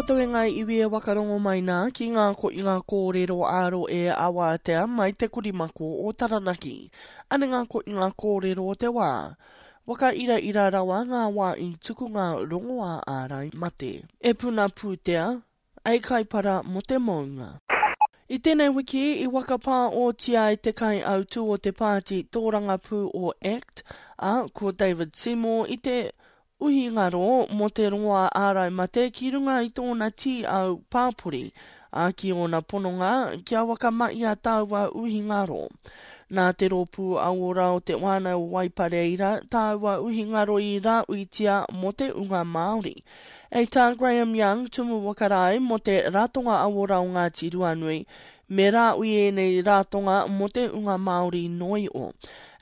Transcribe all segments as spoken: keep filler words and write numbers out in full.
koutou e ngā iwi e wakarongo mai nā ki ngā koinga kōrero āro e awātea mai te korimako o Taranaki. Ane ngā koinga kōrero o te wā. Waka ira ira rawa ngā wā i tuku ngā rongoā ārai mate. E puna pūtea, ei kaipara mo te mounga. I tēnei wiki, i wakapā o tia i te kai autu o te pāti tōrangapū o ACT, a ko David Seymour i te uhingaro mō te rongoā ārai mate ki runga i tōna tī au pāpori, a ki ōna pononga kia wakamai a tāua uhingaro. Nā te rōpū auora o te wānau o Waipareira, tāua uhingaro i rāuitia mō te unga Māori. Ei tā Graham Young, tumu wakarai mō te ratonga auora o Ngāti Ruanui, me rāui ēnei ratonga mō te unga Māori noi o.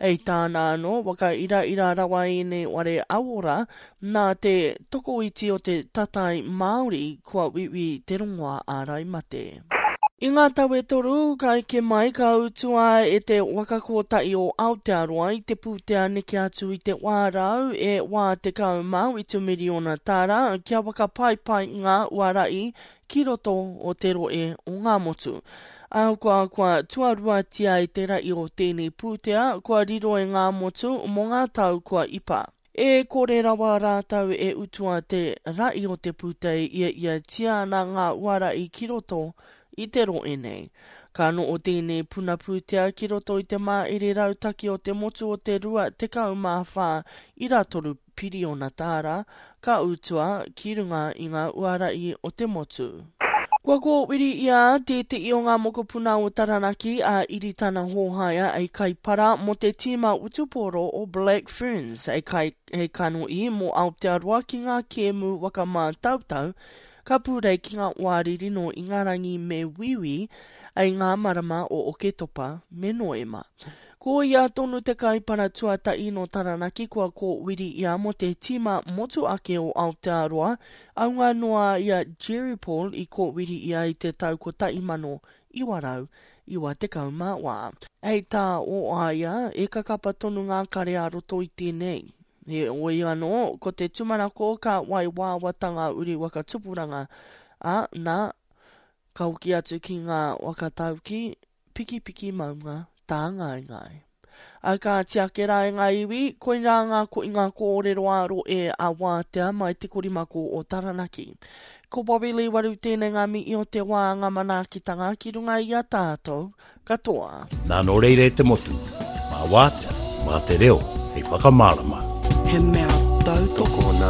Ei tāna anō, waka ira ira rawa ēnei ware auora, nā te tokoiti o te tatai Māori kua wiwi te rongoa ārai mate. I ngā tau e toru, ka eke mai ka utua e te waka kōtahi o Aotearoa i te pūtea neke atu i te wārau e wā tekau mā whitu miriona tāra kia waka pai ngā uarai ki roto o te roe o ngā motu. Ahakoa kua tuaruatia i te rai o tēnei pūtea, kua riro e ngā motu mō ngā tau kua ipa. E kore rawa rātau e utua te rai o te pūtea ia ia tia ana ngā uarai ki roto i te roe nei. Ka no o tēnei puna pūtea ki roto i te māere rautaki o te motu o te rua tekau mā whā i rātoru piriona tāra, ka utua ki runga i ngā uarai o te motu. Kua kōwiri ia tētehi o ngā mokopuna o Taranaki a Iritana Hōhaia ei kaipara mō te tīma utuporo o Black Ferns ei, kai, ei kano'i mō Aotearoa ki ngā kēmu waka mātautau ka pūrei ki ngā wāriri no Ingarangi me Wiwi ei ngā marama o Oketopa me Noema. Ko ia tonu te kaipara tuatahi no Taranaki kua kōwiri ia mō te tīma motu ake o Aotearoa, aunga noa ia Jerry Paul i kōwiri ia i te tau kotahi mano iwa rau iwa tekau mā wā. Hei tā o aia, e kakapa tonu ngā kare a roto i tēnei. He oi anō, ko te tumanako ka wai wāwatanga uri waka tupuranga, a nā, ka hoki atu ki ngā wakatauki, piki piki maunga, tā ngai ngai. A ka tiake rā e ngā iwi, koirā ngā ko i ngā kōrero āro e a wātea mai te korimako o Taranaki. Ko Bobby Lee Waru tēnei ngā mihi o te wā ngā manaakitanga ki runga i a tātou katoa. Nā nō reira e te motu, mā wātea, mā te reo, hei whakamārama. He mea tautoko. Tokona